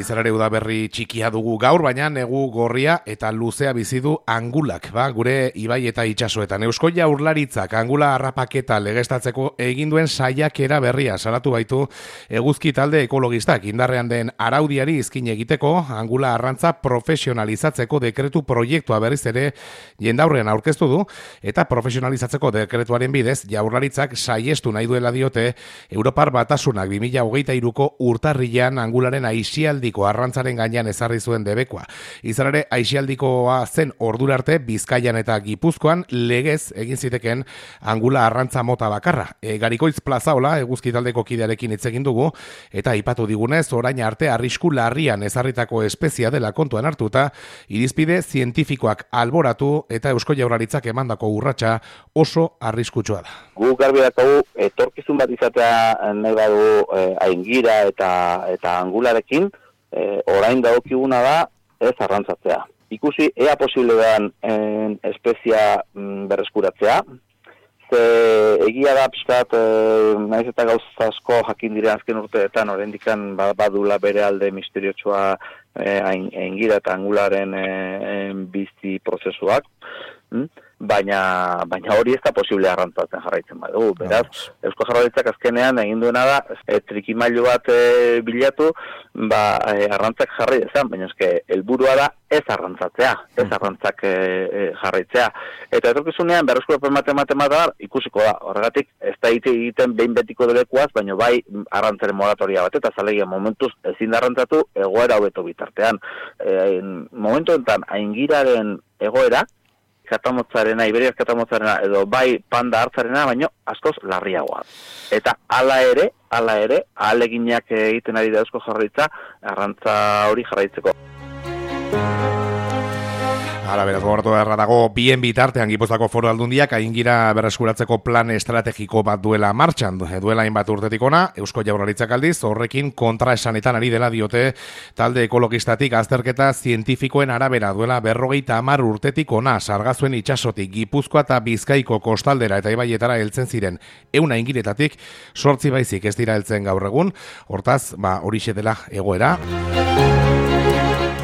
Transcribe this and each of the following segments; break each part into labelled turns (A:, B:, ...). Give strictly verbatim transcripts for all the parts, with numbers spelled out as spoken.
A: izan ere udaberri txikia dugu gaur, baina negu gorria eta luzea bizi du Angulak, ba, gure ibai eta itsasoetan. Eusko Jaurlaritzak Angula harrapaketa legeztatzeko egin duen saiakera berria salatu baitu eguzki talde ekologistak. Indarrean den araudiari izkin egiteko Angula arrantza profesionalizatzeko dekretu proiektua berriz ere jendaurrean aurkeztu du, eta profesionalizatzeko dekretuaren bidez Jaurlaritzak saiestu nahi duela diote Europar Batasunak bi mila hogeita hiruko urtarrilean Angularen aisialdiko arrantzaren gainean ezarri zuen debekoa. Izan ere, aisialdikoa zen ordura arte Bizkaian eta Gipuzkoan legez egin ziteken Angula arrantza mota bakarra. E, Garikoitz Plazaola eguzki taldeko kidearekin hitz egin dugu, eta aipatu digunez orain arte arrisku larrian ezarritako espezia dela kontuan hartuta, irizpide zientifikoak alboratu eta Eusko Jaurlaritzak emandako urratsa oso arriskutsua da.
B: Gu garbi daukagu etorkizun bat izatea nahi badu eh, aingira eta eta angularekin, eh, orain dagokiguna da ez arrantzatzea. Ikusi ea posible den en, espezia mm, berreskuratzea, ze egia da pixkat, e, naiz eta gauza asko jakin diren azken urteetan, oraindikan badula bere alde misteriotsua e, aingira eta angularen e, bizi prozesuak, mm? baina baina hori ez da posible arrantzatzen jarraitzen badugu. Beraz, Eusko Jaurlaritzak azkenean egin duena da e, trikimailu bat e, bilatu, ba e, arrantzak jarri dezan, baina eske helburua da ez arrantzatzea, ez arrantzak e, e, jarraitzea. Eta etorkizunean berreskurapen matematika ikusiko da. Horregatik ez da egiten behin betiko delekuaz, baina bai arrantzaren moratoria bat eta zalegia momentuz ezin da arrantzatu egoera hobeto bitartean. E, momentu enten aingiraren egoera katamotzarena, iberiaz katamotzarena, edo bai panda hartzarena, baino askoz larriagoa. Eta hala ere, hala ere, ahaleginak egiten ari da Eusko Jaurlaritza arrantza hori jarraitzeko.
A: Hala, beraz, gogoratu beharra dago, bien bitartean Gipuzkoako Foru Aldundiak aingira berreskuratzeko plan estrategiko bat duela martxan. Duela hainbat urtetik ona, Eusko Jaurlaritzak aldiz, horrekin kontraesanetan ari dela diote talde ekologistatik azterketa zientifikoen arabera duela berrogeita hamar urtetik ona, sargazuen itsasotik Gipuzkoa eta Bizkaiko kostaldera eta ibaietara heltzen ziren ehun aingiretatik, sortzi baizik ez dira heltzen gaur egun, hortaz, ba, horixe dela egoera.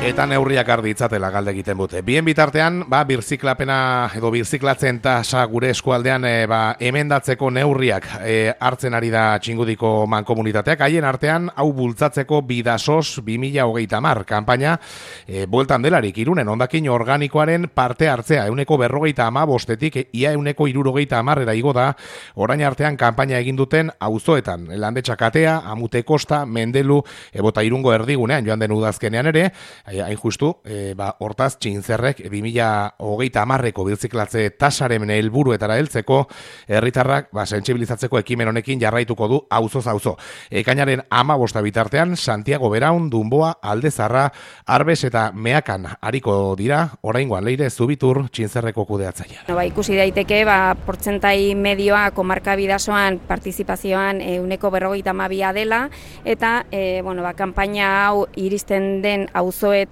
A: Eta neurriak ardi itzatela galde egiten dute. Bien bitartean, ba, birziklapena edo birziklatzen tasa gure eskualdean e, ba, emendatzeko neurriak e, hartzen ari da Txingudiko mankomunitateak. Haien artean, hau bultzatzeko Bidasos bi mila hogeita hamar kanpaina e, bueltan delarik Irunen hondakin organikoaren parte hartzea. Euneko berrogeita hamabostetik ia euneko hirurogeita hamarrera igo da orain artean kanpaina egin duten auzoetan. Landetxakatea, Amute Kosta, Mendelu, ebota Irungo erdigunean joan den udazkenean ere, hain justu, e, ba, hortaz Txintzerrek bi mila hogeita hamarreko birziklatze tasaren helburuetara heltzeko herritarrak ba, sentsibilizatzeko ekimen honekin jarraituko du auzoz auzo. Ekainaren hamabosta bitartean Santiago Beraun, Dunboa, Aldezarra, Arbes eta Meakan ariko dira, oraingoan Leire Zubitur Txintzerreko kudeatzailea.
C: No, ba, ikusi daiteke, ba, portzentai medioa komarka Bidasoan partizipazioan ehuneko berrogeita hamabia dela, eta e, bueno, ba, kanpaina hau iristen den auzoe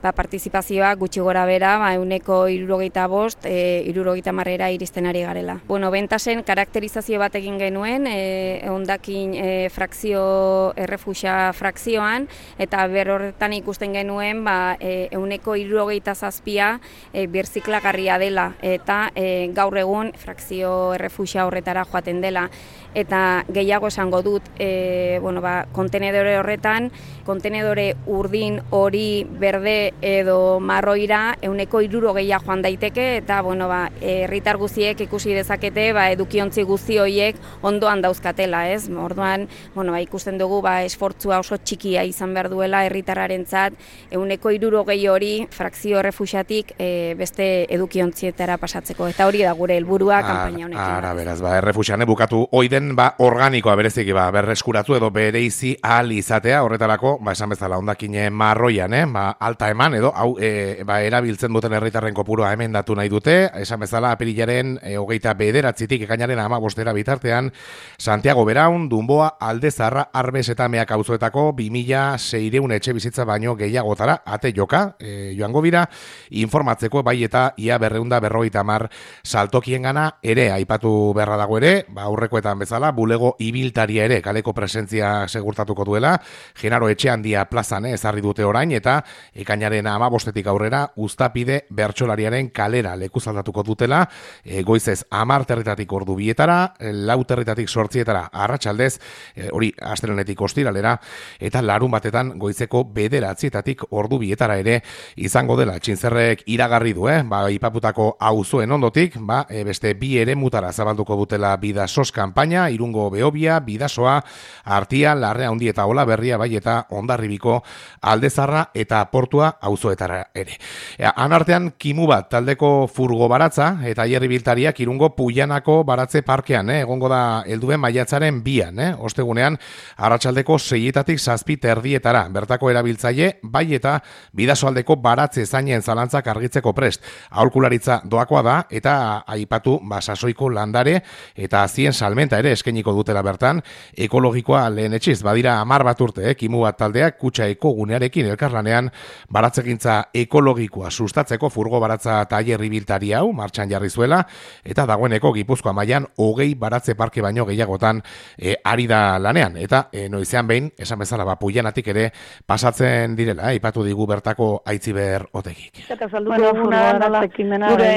C: ba, partizipazioa gutxi gora bera, ba, euneko hirurogeita bost, e, hirurogeita hamarrera iristen ari garela. Bueno, bentasen karakterizazio bat egin genuen, e, hondakin e, frakzio, errefuxa frakzioan, eta berorretan ikusten genuen, ba, e, euneko hirurogeita zazpia e, birziklagarria dela, eta e, gaur egun frakzio errefuxa horretara joaten dela. Eta gehiago esango dut, e, bueno, ba, kontenedore horretan, kontenedore urdin hori berde edo marroira euneko hirurogeia joan daiteke, eta bueno, ba, herritar guztiek ikusi dezakete ba, edukiontzi guzti horiek ondoan dauzkatela, ez? Orduan, bueno, ba, ikusten dugu ba, esfortzua oso txikia izan behar duela herritarrarentzat euneko hirurogei hori frakzio errefuxatik e, beste edukiontzietara pasatzeko, eta hori da gure helburua kanpaina honekin.
A: Ara, beraz, ba, errefuxan bukatu oiden ba, organikoa bereziki ba, berreskuratu edo bereizi ahal izatea, horretarako, ba, esan bezala hondakine marroian, eh? Ba, alta eman edo hau e, ba, erabiltzen duten herritarren kopurua emendatu nahi dute, esan bezala apirilaren e, hogeita bederatzitik ekainaren hamabostera bitartean Santiago Beraun, Dunboa, Aldezarra, Arbes eta Meak auzoetako bi mila seiehun etxe bizitza baino gehiagotara ate joka e, joango bira informatzeko bai eta ia berreunda berrogeita hamar saltokiengana ere aipatu beharra dago ere, ba, aurrekoetan bezala bezala, bulego ibiltaria ere kaleko presentzia segurtatuko duela, Genaro Etxeandia plazan ezarri dute orain, eta ekainaren hamabostetik aurrera uztapide bertsolariaren kalera lekuzaldatuko dutela, e, goizez hamar territatik ordu bietara, lau territatik sortzietara arratsaldez, e, hori astelehenetik ostiralera, eta larun batetan goizeko bederatzietatik ordu bietara ere izango dela. Txintzerrek iragarri du, eh? ba, ipaputako auzoen ondotik, ba, e, beste bi ere mutara zabalduko dutela Bidasos kanpaina, Irungo Behobia, Bidasoa, Artia, Larrea Handi eta Ola Berria, bai eta Hondarribiko, Aldezarra eta Portua auzoetara ere. E, anartean, kimu bat taldeko furgo baratza eta hierri biltariak Irungo Puianako baratze parkean, eh? egongo da helduen maiatzaren bian, eh? ostegunean arratsaldeko seietatik zazpi terdietara, bertako erabiltzaile, bai eta Bidasoaldeko baratze zainen zalantzak argitzeko prest. Aholkularitza doakoa da eta aipatu ba, sasoiko landare eta azien salmenta ere eskainiko dutela bertan, ekologikoa lehen etxiz, badira hamar bat urte, eh? kimu bat taldeak kutxa ekogunearekin elkarlanean baratzegintza ekologikoa sustatzeko furgo baratza tailer ibiltari hau martxan jarri zuela, eta dagoeneko Gipuzkoa mailan hogei baratze parke baino gehiagotan e, ari da lanean, eta e, noizean behin, esan bezala ba, Puianatik ere pasatzen direla, eh? ipatu digu bertako Aitziber Otegik.
D: Eta salduko duguna dala, gure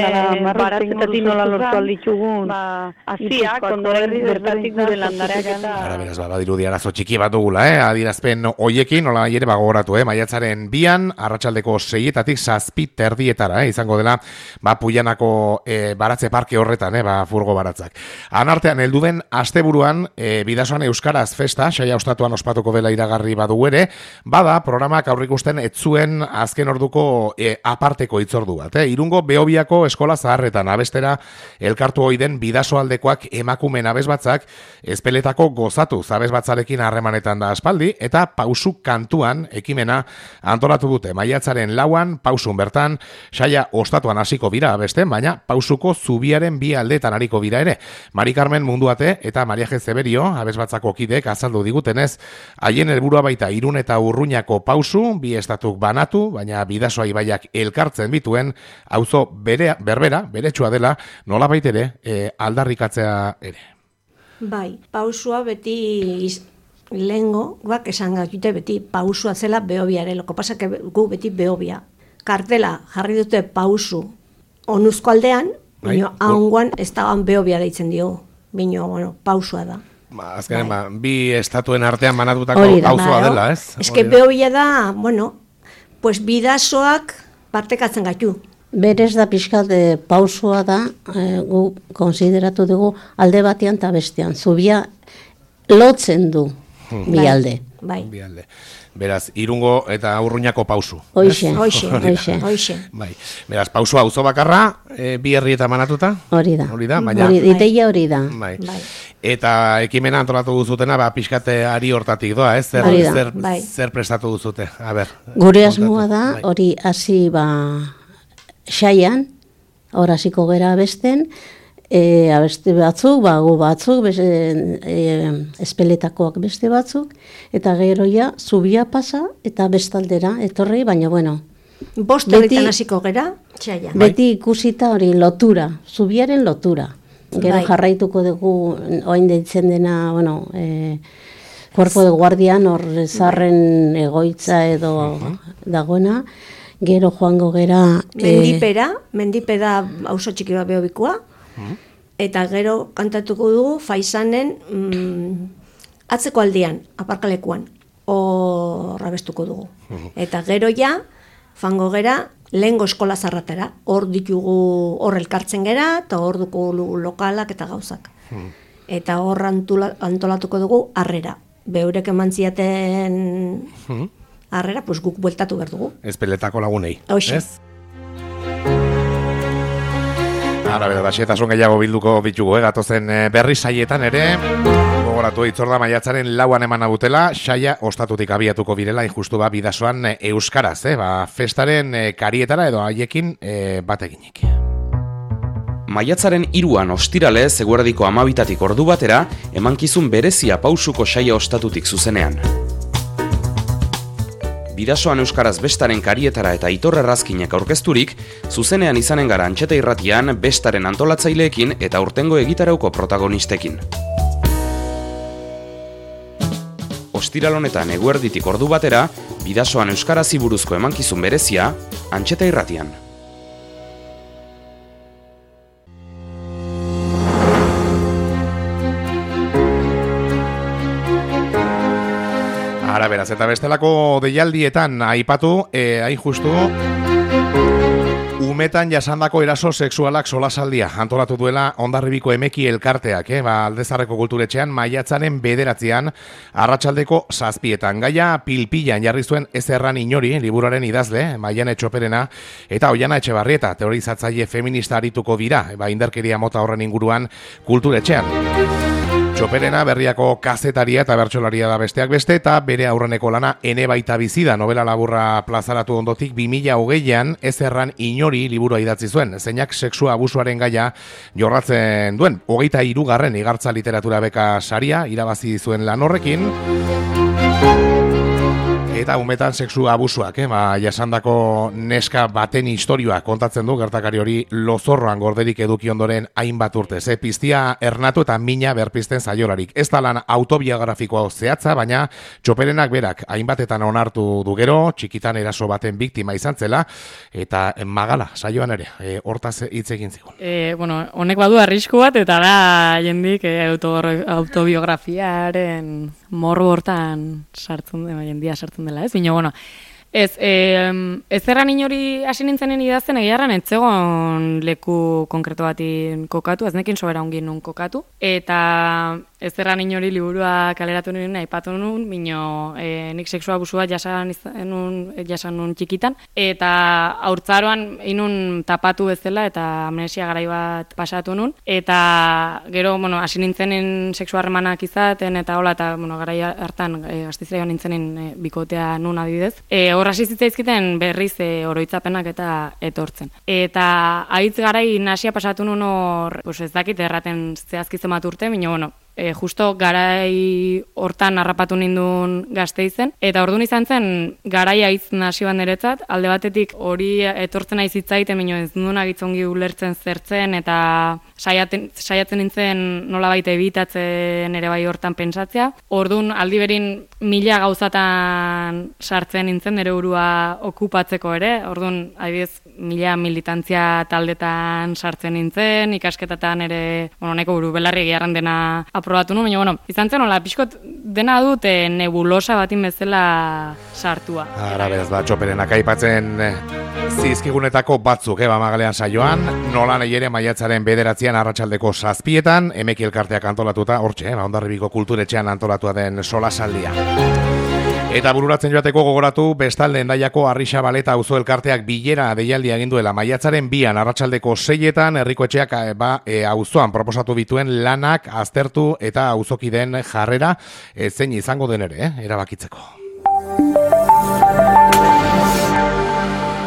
D: baratzetatik nola lortu alditzugun, aziak, ondoren bertatik gure landareak eta...
A: Ara, beraz, ba, badirudi arazo txiki bat dugula, eh? adirazpen hoiekin, nola ere bagoratu, eh? maiatzaren bian, arratsaldeko seietatik zazpi terdietara, eh? izango dela, ba, Puianako e, baratze parke horretan, eh? ba, furgo baratzak. Anartean, heldu den asteburuan, e, Bidasoan Euskaraz festa, saia ostatuan ospatuko dela iragarri badu ere, bada, programak aurrikusten etzuen azken orduko e, aparteko itzordu bat, eh? Irungo Behobiako eskola zaharretan abestera elkartu ohi den Bidasoaldekoak emakumen abesbatzak ezpeletako gozatu zabesbatzarekin harremanetan da aspaldi, eta pausu kantuan ekimena antolatu dute. Maiatzaren lauan, pausun bertan, saia ostatuan hasiko bira abesten, baina pausuko zubiaren bi aldetan ariko bira ere. Mari Carmen Munduate eta Maria G. Zeberio, abesbatzako kidek azaldu digutenez, haien helburua baita Irun eta Urruñako pausu, bi estatuk banatu, baina Bidasoa ibaiak elkartzen bituen, auzo bere, berbera, beretsua dela, nolabait ere, e, aldarrikatzea ere.
E: Bai, pausua beti iz, lehengo, guak esan gatute beti pausua zela Behobiare, loko pasak gu beti Behobia. Kartela jarri dute pausu onuzko aldean, bai, bino hanguan ez da Behobia deitzen dio, bino, bueno, pausua da.
A: Ba, azkenen, bai. ba, bi estatuen artean banatutako auzoa dela, ez?
E: Ez que Behobia da, bueno, pues Bidasoak partekatzen gaitu.
F: Berez da pixkat e, pausua da, e, gu konsideratu dugu alde batean eta bestean. Zubia lotzen du hmm. bi alde.
E: Bai.
A: Bi alde. Beraz, Irungo eta Urruñako pausu.
F: Hoixe,
E: hoixe,
F: hoixe.
E: hoixe.
A: Bai. Beraz, pausua auzo bakarra, e, bi herrietan banatuta?
F: Hori da.
A: Hori da, baina...
F: Hori, iteia hori da.
A: Bai.
E: Bai.
A: Eta ekimena antolatu duzutena, ba, pixkate ari hortatik doa, ez? Zer, zer,
E: bai.
A: zer prestatu duzute? A ber.
F: Gure asmoa da, hori hasi ba... Saian, hor hasiko gera abesten, e, abeste batzuk, bagu batzuk, beste, e, espeletakoak beste batzuk, eta gero ja, zubia pasa, eta bestaldera, etorri, baina bueno.
E: Bost horretan hasiko gera, saian.
F: Beti ikusita hori lotura, zubiaren lotura. Gero bai. Jarraituko dugu, oain deitzen dena, bueno, e, Cuerpo de Guardian, hor zarren egoitza edo uh-huh. dagoena, gero joango gera...
E: Mendipera, e... mendipera auzo txiki bat Behobikoa, hmm. eta gero kantatuko dugu Faisanen mm, atzeko aldean, aparkalekuan, hor abestuko dugu. Hmm. Eta gero ja, fango gera, lehengo eskola zarratera, hor ditugu hor elkartzen gera, eta hor dugu lokalak eta gauzak. Hmm. Eta hor antolatuko dugu harrera. Beurek eman ziaten... Hmm. Arrera, pues guk bueltatu behar dugu.
A: Ezpeletako lagunei.
E: Hoxe.
A: Ez? Ara, bera, da, xietasun gehiago bilduko bitugu, eh? Gatozen berri saietan ere, gogoratu itzorda maiatzaren lauan eman abutela, saia ostatutik abiatuko birela, injustu ba, Bidasoan euskaraz, eh? Ba, festaren karietara edo haiekin eh, bateginik.
G: Maiatzaren hiruan ostirale, eguerdiko amabitatik ordu batera, emankizun berezia pausuko saia ostatutik zuzenean. Bidasoan euskaraz bestaren karietara eta Aitor Errazkinek aurkezturik, zuzenean izanen gara Antxeta Irratian bestaren antolatzaileekin eta urtengo egitarauko protagonistekin. ostiral honetan eguerditik ordu batera, Bidasoan euskarazi buruzko emankizun berezia, Antxeta Irratian.
A: Ara beraz, eta bestelako deialdietan aipatu, eh, hain justu, umetan jasandako eraso sexualak solasaldia antolatu duela Hondarribiko Emeki elkarteak, eh? ba, Aldezarreko kulturetxean maiatzaren bederatzean arratsaldeko zazpietan. Gaia pilpilan jarri zuen ez erran inori, liburuaren idazle, Maiane Txoperena, eta Oiana Etxebarrieta, teorizatzaile feminista arituko dira, ba, indarkeria mota horren inguruan kulturetxean. Txoperena berriako kazetaria eta bertsolaria da besteak beste, eta bere aurreneko lana Ene baita bizida novela laburra plazaratu ondotik bi mila hogeian ez erran inori liburua idatzi zuen, zeinak sexua abusuaren gaia jorratzen duen. Hogeita hirugarren igartza literatura beka saria irabazi zuen lan horrekin, eta umetan sexu abusuak, eh? ba, jasandako neska baten istorioa kontatzen du gertakari hori lozorroan gorderik eduki ondoren hainbat urtez. Eh? Piztia ernatu eta mina berpizten zaiolarik. Ez da lan autobiografikoa zehatza, baina Txoperenak berak hainbatetan onartu du gero, txikitan eraso baten biktima izan zela, eta magala saioan ere, e, hortaz hitz egin zigun.
H: E, bueno, honek badu arrisku bat, eta da jendik e, auto, autobiografiaren morro hortan sartzen dela, jendia sartzen dela, ez? Bino, bueno, ez, e, ez erran inori hasi nintzenen idazten egiarran etzegon leku konkreto batin kokatu, ez nekin sobera ongin nun kokatu, eta ez erran inori liburua kaleratu nuen, aipatu nuen, bino e, nik sexua abusua jasan nun, jasan nun txikitan, eta haurtzaroan inun tapatu bezala, eta amnesia garai bat pasatu nun, eta gero, bueno, hasi nintzenen sexua harremanak izaten, eta hola, eta, bueno, garai hartan, e, astizraio nintzenen e, bikotea nun adibidez. E, hor hasi zitzaizkiten berriz e, oroitzapenak eta etortzen. Eta haitz garai nasia pasatu nun hor, pues ez dakit erraten zehazki zenbat urte, bino, bueno, E, justo garai hortan harrapatu nindun Gasteizen, eta orduan izan zen garai haitz nasioan niretzat, alde batetik hori etortzen aiz hitzaiten, mino ez nuen agitzongi ulertzen zertzen, eta saiaten, saiatzen nintzen nolabait ebitatzen ere bai hortan pentsatzea. Orduan aldi berin mila gauzatan sartzen nintzen nire burua okupatzeko ere, orduan adibidez mila militantzia taldetan sartzen nintzen, ikasketatan ere, bueno, neko buru belarri egiarran dena aprobatu nuen, baina, bueno, izan zen, hola, pixkot dena dute nebulosa batin bezala sartua.
A: Ara, beraz, ba, Txoperenak aipatzen zizkigunetako batzuk, eba magalean saioan, nola nahi ere maiatzaren bederatzean arratsaldeko zazpietan, Emeki elkarteak antolatuta, hortxe, ba, Hondarribiko kulturetxean antolatua den solasaldia. Eta bururatzen joateko gogoratu, bestalde Hendaiako Arrixabaleta auzo elkarteak bilera deialdia egin duela maiatzaren bian arratsaldeko seietan herrikoetxeak ba, e, auzoan proposatu bituen lanak aztertu eta auzokideen jarrera e, zein izango den ere, eh, erabakitzeko.